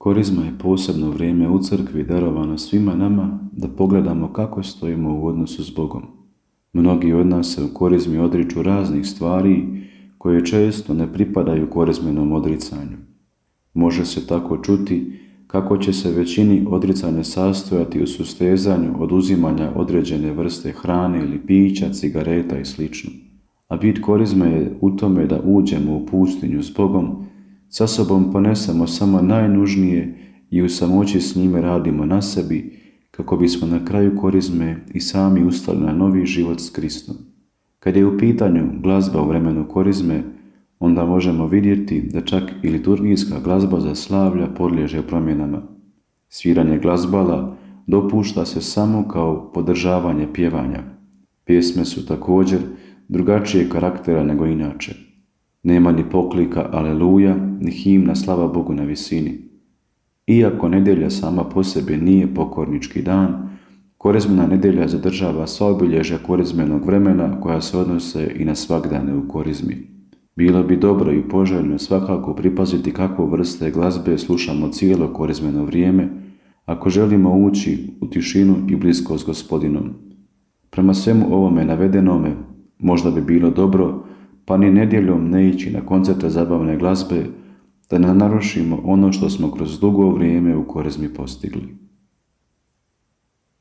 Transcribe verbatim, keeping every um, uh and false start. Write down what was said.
Korizma je posebno vrijeme u crkvi darovano svima nama da pogledamo kako stojimo u odnosu s Bogom. Mnogi od nas se u korizmi odriču raznih stvari koje često ne pripadaju korizmenom odricanju. Može se tako čuti kako će se većini odricanje sastojati u sustezanju oduzimanja određene vrste hrane ili pića, cigareta i sl. A bit korizme je u tome da uđemo u pustinju s Bogom, sa sobom ponesemo samo najnužnije i u samoći s njime radimo na sebi, kako bismo na kraju korizme i sami ustali na novi život s Kristom. Kad je u pitanju glazba u vremenu korizme, onda možemo vidjeti da čak i liturgijska glazba za slavlja podliježe promjenama. Sviranje glazbala dopušta se samo kao podržavanje pjevanja. Pjesme su također drugačije karaktera nego inače. Nema ni poklika aleluja, ni himna slava Bogu na visini. Iako nedjelja sama po sebi nije pokornički dan, korizmena nedjelja zadržava sva obilježja korizmenog vremena koja se odnose i na svagdane u korizmi. Bilo bi dobro i poželjno svakako pripaziti kakvu vrste glazbe slušamo cijelo korizmeno vrijeme, ako želimo ući u tišinu i bliskost s Gospodinom. Prema svemu ovome navedenome, možda bi bilo dobro, pa ni nedjeljom ne ići na koncerte zabavne glazbe, da ne narušimo ono što smo kroz dugo vrijeme u korizmi postigli.